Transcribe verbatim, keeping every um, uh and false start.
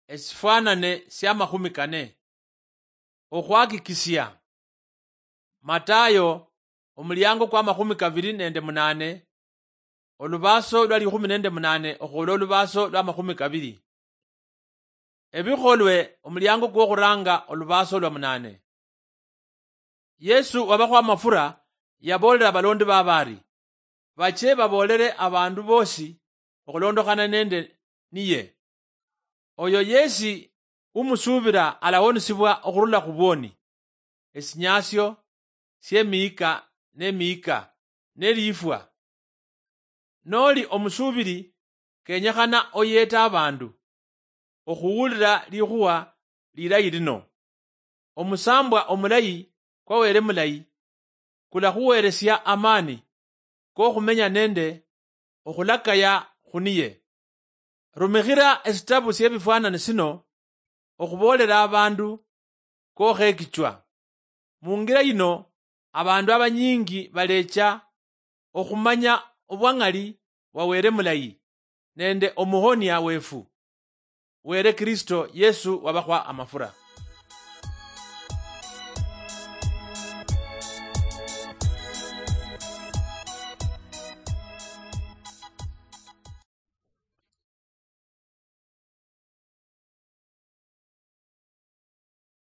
Esifwanane siamakhumi kane. Okhwakikisia. Matayo, omuliango kwa makhumi kabiri nende munane, olubaso lwa likhumi nende munane okhwola olubaso lwa makhumi kabiri. Ebikholwe, omuliango kwokhuranga, olubaso lwa munane. Yesu wabakhwa amafura, yaboolera abalondi babe ari, bache baboolere abandu boosi okhulondokhana nende niye. Oyo yesi umusuubira alawonisibwa okhurula khubwoni, esinyasio siemiyika nemiyika, nelifwa. Noli omusuubiri, kenyekhana oyeete abandu okhuwulira likhuwa lilayi lino. Omusambwa omulayi kwa Wele mulayi kulakhuweresia amani kokhumenya nende okhulakaya khuniye. Rumikhira esitabu siebifwanani sino okhuboolera abandu kokhekichwa. Mungira yino, abandu abanyingi balecha okhumanya obwang'ali bwa Wele mulayi nende omuhonia wefu, Wele Kristo Yesu wabakhwa amafura.